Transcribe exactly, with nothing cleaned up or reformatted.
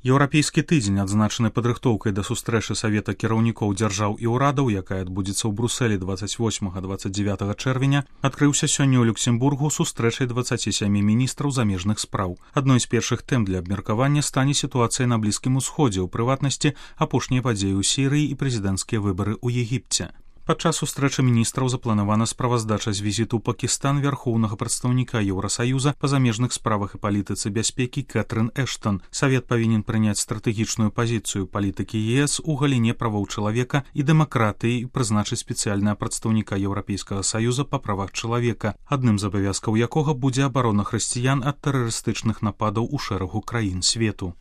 Еўрапейскі тыдзень, адзначаны падрыхтоўкай да сустрэчы Савета кіраўнікоў дзяржаў і ўрадаў, якая адбудзецца ў Брусэлі дваццаць восьмага - дваццаць дзевятага чэрвеня, адкрыўся сёння ў Люксембургу сустрэчай дваццаці сямі міністраў замежных спраў. Адной з першых тэм для абмеркавання стане сітуацыя на Блізкім Усходзе, у прыватнасці апошнія падзеі ў Сірыі і прэзідэнцкія выбары ў Егіпце. Падчас сустрэчы міністраў запланавана справаздача з візіту ў Пакістан вярхоўнага прадстаўніка Еўрасаюза па замежных справах і палітыцы бяспекі Кэтрын Эштон. Савет павінен прыняць стратэгічную пазіцыю палітыкі ЕС у галіне правоў чалавека і дэмакратыі і прызначыць спецыяльнага прадстаўніка Еўрапейскага саюза па правах чалавека, адным з абавязкаў якога будзе абарона хрысціян ад тэрарыстычных нападаў у шэрагу краін свету.